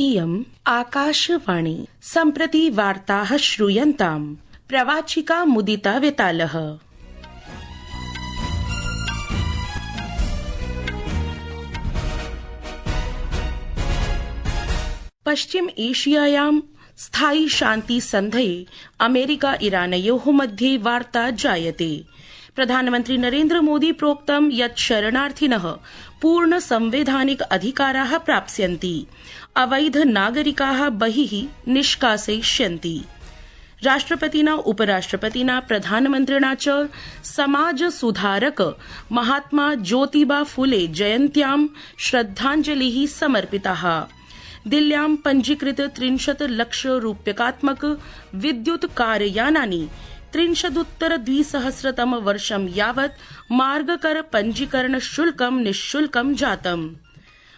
इयम् आकाशवाणी। सम्प्रति वार्ताः श्रूयन्ताम्। प्रवाचिका मुदिता वेतालः। पश्चिम एशियायां स्थायि शान्ति सन्धये अमेरिका इरानयोः मध्ये वार्ता जायते। प्रधानमन्त्री नरेन्द्र मोदी प्रोक्तं यत् शरणार्थिनः पूर्ण संवैधानिक अधिकाराः प्राप्स्यन्ति, अवैध नागरिकाः बहिः निष्कासयिष्यन्ति। राष्ट्रपतिना उपराष्ट्रपतिना प्रधानमन्त्रिणा च समाज सुधारक महात्मा ज्योतिबा फुले जयन्त्यां श्रद्धाञ्जलिः समर्पिताः। दिल्ल्यां पञ्जीकृत 30 लाख रूप्यकात्मक विद्युत कारयानानि 30-2000 वर्षं यावत् मार्गकर पञ्जीकरण शुल्कं निःशुल्कं जातम्।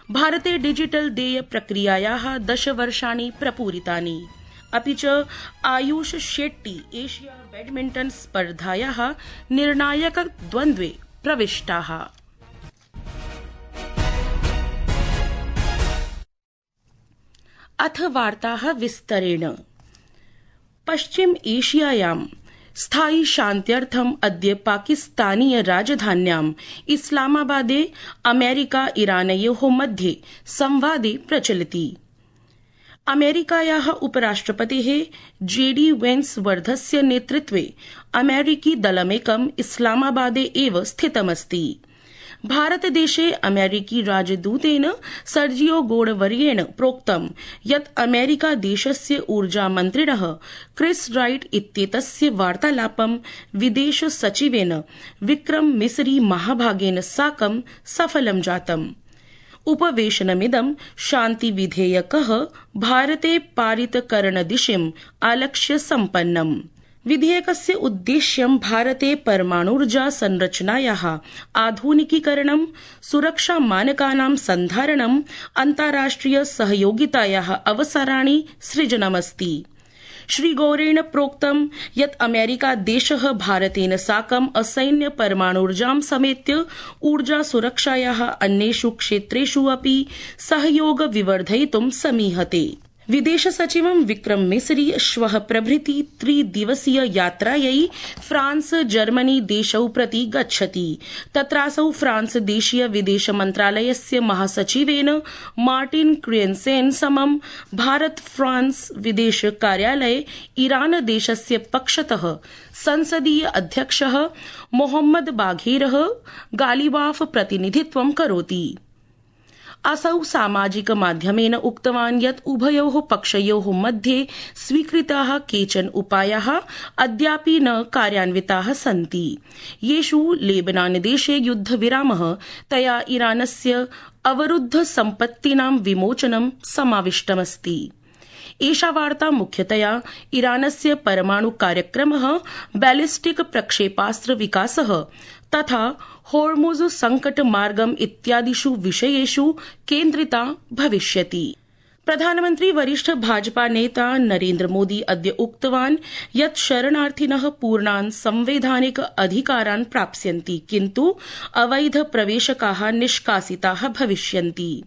भारते डिजिटल देय प्रक्रियायाः 10 वर्षाणि प्रपूरितानि। अपि च आयुष शेट्टी एशिया बैडमिण्टन स्पर्धायाः निर्णायक द्वन्द्वे प्रविष्टाः। अथ वार्ताः विस्तरेण। पश्चिम एशियायां स्थायि शान्त्यर्थम् अद्य पाकिस्तानीय राजधान्याम् इस्लामाबादे अमेरिका इरानयोः मध्ये संवादे प्रचलति। अमेरिकायाः उपराष्ट्रपतेः JD वेन्स् वर्धस्य नेतृत्वे अमेरिकी दलमेकम् इस्लामाबादे एव स्थितमस्ति। भारतदेशे अमेरिकी राजदूतेन सर्जियो गोडवर्येण प्रोक्तं यत् अमेरिकादेशस्य ऊर्जामन्त्रिणः क्रिस् राइट इत्येतस्य वार्तालापं विदेश सचिवेन विक्रम मिसरी महाभागेन साकं सफलं जातम्। उपवेशनमिदं शान्तिविधेयकः भारते पारितकरणदिशिम् आलक्ष्य सम्पन्नम्। विधेयकस्य उद्देश्यं भारते परमाणुर्जा संरचनायाः आधुनिकीकरणं, सुरक्षामानकानां सन्धारणं, अन्ताराष्ट्रिय सहयोगितायाः अवसराणि सृजनमस्ति। श्रीगौरेण प्रोक्तं यत् अमेरिकादेशः भारतेन साकम् असैन्य परमाणुर्जां समेत्य ऊर्जा सुरक्षायाः अन्येषु क्षेत्रेषु अपि सहयोग विवर्धयितुं समीहते। विदेश सचिवं विक्रम मिसरी श्वः प्रभृति 3 दिवसीय यात्रायै फ्रांस जर्मनी देशौ प्रति गच्छति। तत्रासौ फ्रांस देशीय विदेश मन्त्रालयस्य महासचिवेन मार्टिन क्रियन्सेन समं भारत फ्रांस विदेश कार्यालये ईरान देशस्य पक्षतः संसदीय अध्यक्षः मोहम्मद बाघेरः गालिबाफ प्रतिनिधित्वं करोति। असौ सामाजिक माध्यमेन उक्तवान् यत् उभयोः पक्षयोः मध्ये स्वीकृताः केचन उपायाः अद्यापि न कार्यान्विताः सन्ति, येषु लेबनानदेशे युद्धविरामः, तया ईरानस्य अवरुद्ध सम्पत्तीनां विमोचनं समाविष्टमस्ति। एषा वार्ता मुख्यतया ईरानस्य परमाणु कार्यक्रमः, बैलिस्टिक प्रक्षेपास्त्र विकासः तथा होर्मुज संकट मार्गम इत्यादिषु विषयेषु केन्द्रिता भविष्यति। प्रधानमन्त्री वरिष्ठ भाजपा नेता नरेन्द्र मोदी अद्य उक्तवान् यत् शरणार्थिनः पूर्णान् संवैधानिक अधिकारान् प्राप्स्यन्ति, किन्तु अवैध प्रवेशकाः निष्कासिताः भविष्यन्ति।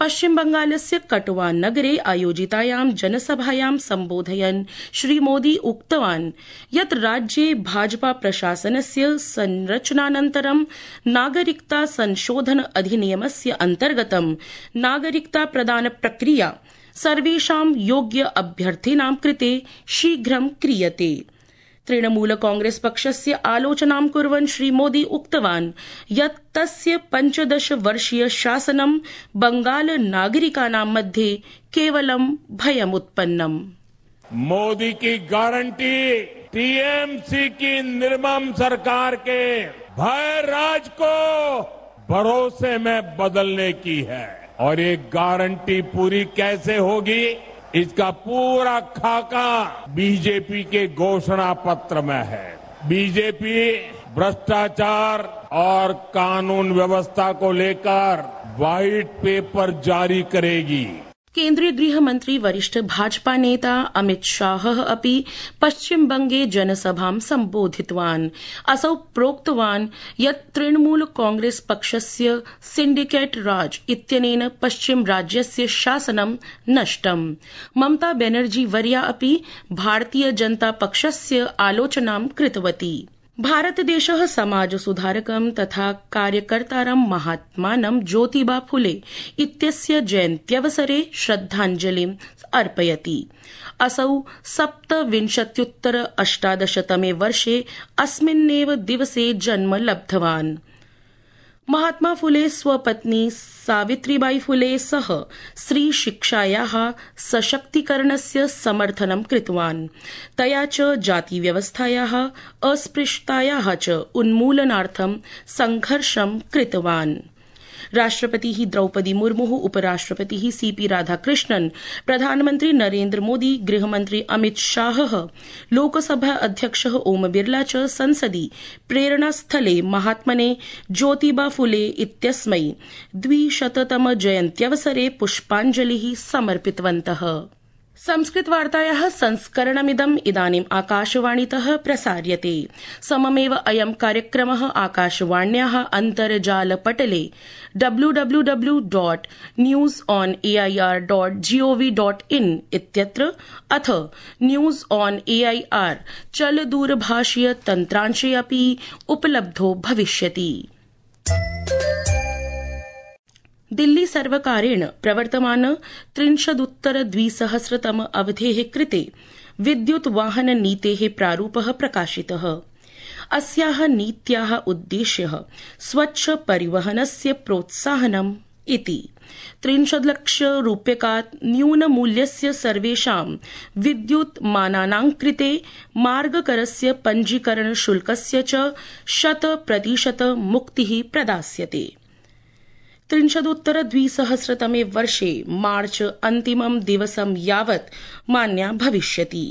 पश्चिम बंगालस्य कटुआ नगरे आयोजितायां जनसभायां सम्बोधयन् श्रीमोदी उक्तवान् यत् राज्ये भाजपा प्रशासनस्य संरचनानन्तरं नागरिकता संशोधन अधिनियमस्य अन्तर्गतं नागरिकता प्रदान प्रक्रिया सर्वेषां योग्य अभ्यर्थिनां कृते शीघ्रं क्रियते। तृणमूल कांग्रेस पक्षस्य आलोचनां कुर्वन् श्रीमोदी उक्तवान् यत् तस्य 15 वर्षीय शासनं बंगाल नागरिकानां मध्ये केवलं भयमुत्पन्नम्। मोदी की गारंटी टीएमसी की निर्मम सरकार के भय राज को भरोसे में बदलने की है, और ये गारंटी पूरी कैसे होगी, इसका पूरा खाका बीजेपी के घोषणा पत्र में है। बीजेपी भ्रष्टाचार और कानून व्यवस्था को लेकर व्हाइट पेपर जारी करेगी। केन्द्रीय गृहमन्त्री वरिष्ठ भाजपा नेता अमित शाहः अपि पश्चिमबंगे जनसभां सम्बोधितवान्। असौ प्रोक्तवान् यत् तृणमूल कांग्रेस पक्षस्य सिंडिकेट राज इत्यनेन पश्चिम राज्यस्य शासनं नष्टम्। ममता बेनर्जी वर्या अपि भारतीय जनता पक्षस्य आलोचनां कृतवती। भारतदेशः समाज सुधारकं तथा कार्यकर्तारं महात्मानं ज्योतिबा फुले इत्यस्य जयन्त्यवसरे श्रद्धाञ्जलिम् अर्पयति। असौ 17-तमे वर्षे अस्मिन्नेव दिवसे जन्म लब्धवान्। महात्मा फुले स्वपत्नी सावित्रीबाई फुले सह स्त्रीशिक्षायाः सशक्तीकरणस्य समर्थनं कृतवान्। तया च जातिव्यवस्थायाः अस्पृश्यतायाः च उन्मूलनार्थं संघर्षं कृतवान्। राष्ट्रपतिः द्रौपदी मुर्मुः, उपराष्ट्रपतिः सीपी राधाकृष्णन्, प्रधानमन्त्री नरेन्द्र मोदी, गृहमन्त्री अमित शाहः, लोकसभा अध्यक्षः ओम बिरला च संसदि प्रेरणास्थले महात्मने ज्योतिबा फुले इत्यस्मै 200तम जयन्त्यवसरे पुष्पाञ्जलिः समर्पितवन्तः। संस्कृतवार्तायाः संस्करणमिदम् इदानीम् आकाशवाणीतः प्रसार्यते। सममेव अयं कार्यक्रमः आकाशवाण्याः अन्तर्जालपटले www.newsonair.gov.in इत्यत्र अथ न्यूज ऑन एआईआर चलदूरभाषीय तन्त्रांशे अपि उपलब्धो भविष्यति। दिल्ली सर्वकारेण प्रवर्तमान 30-उत्तर-2000तम अवधेः कृते विद्युत वाहन नीतेः प्रारूपः प्रकाशितः। अस्याः नीत्याः उद्देश्यः स्वच्छ परिवहनस्य प्रोत्साहनम् इति। 30 लक्षरूप्यकात् न्यूनमूल्यस्य सर्वेषां विद्युत्मानानां कृते मार्गकरस्य पञ्जीकरण शुल्कस्य च 100% मुक्तिः प्रदास्यते। 30-उत्तर-2000तमे वर्षे मार्च अन्तिमं दिवसं यावत् मान्या भविष्यति।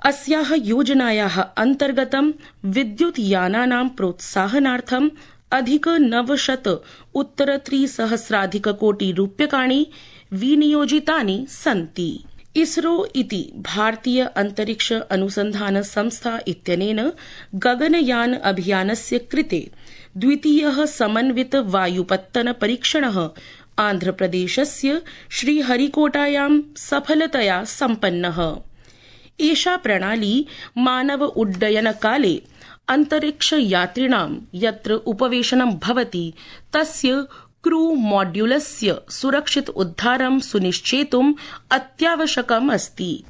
अस्याः योजनायाः अन्तर्गतं विद्युतयानानां प्रोत्साहनार्थं अधिक 900-उत्तर-300,000-कोटिरूप्यकाणि विनियोजितानि सन्ति। इसरो इति भारतीय अंतरिक्ष अनुसंधान संस्था इत्यनेन गगनयान अभियानस्य कृते द्वितीयः समन्वित वायुपत्तन परीक्षणः आन्ध्रप्रदेशस्य श्रीहरिकोटायां सफलतया सम्पन्नः। एषा प्रणाली मानव उड्डयनकाले अंतरिक्षयात्रिणां यत्र उपवेशनं भवति तस्य क्रू मॉड्यूलस्य सुरक्षित उद्धारं सुनिश्चेतुम् अत्यावश्यकम् अस्ति।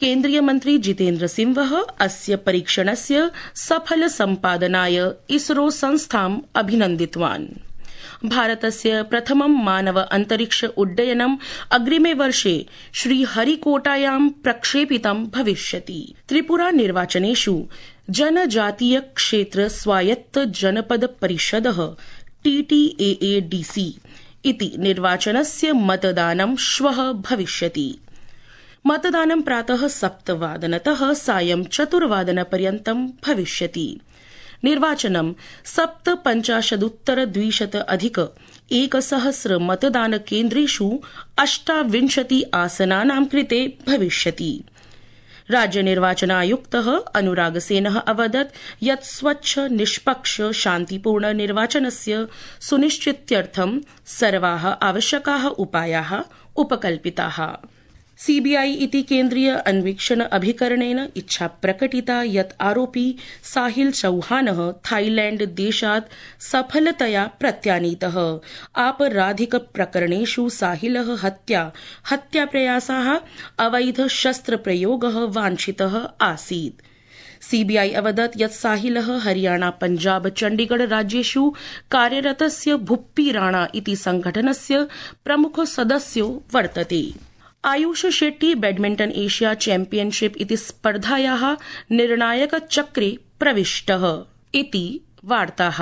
केन्द्रीय मन्त्री जितेन्द्र सिंहः अस्य परीक्षणस्य सफल सम्पादनाय इसरो संस्थाम् अभिनन्दितवान्। भारतस्य प्रथमं मानव अंतरिक्ष उड्डयनम् अग्रिमे वर्षे श्रीहरिकोटायां प्रक्षेपितं भविष्यति। त्रिपुरा निर्वाचनेषु जनजातीय क्षेत्र स्वायत्त जनपद परिषदः TTAADC इति निर्वाचनस्य मतदानं श्वः भविष्यति। मतदानं प्रातः 7:00 सायं 4:00 भविष्यति। निर्वाचनं 57,200 मतदानकेन्द्रेषु 28 आसनानां कृते भविष्यति। राज्य निर्वाचनायुक्तः अनुराग सेनः अवदत् यत् स्वच्छ निष्पक्ष शान्तिपूर्ण निर्वाचनस्य सुनिश्चित्यर्थं सर्वाः आवश्यकाः उपायाः उपकल्पिताः। सीबीआई इति केन्द्रीय अन्वीक्षण अभिकरणेन इच्छा प्रकटिता यत् आरोपी साहिल चौहानः थाईलैंड देशात् सफलतया प्रत्यानीतः। आपराधिक प्रकरणेषु साहिलः हत्याप्रयासः अवैध शस्त्रप्रयोगः वाञ्छितः आसीत्। सीबीआई अवदत् यत् साहिलः हरियाणा पंजाब चण्डीगढ़ राज्येषु कार्यरतस्य भुप्पी राणा इति संघटनस्य प्रमुख सदस्यो वर्तते। आयुष शेट्टी बैडमिंटन एशिया चैम्पियनशिप इति स्पर्धायाः निर्णायकचक्रे प्रविष्टः इति वार्ताः।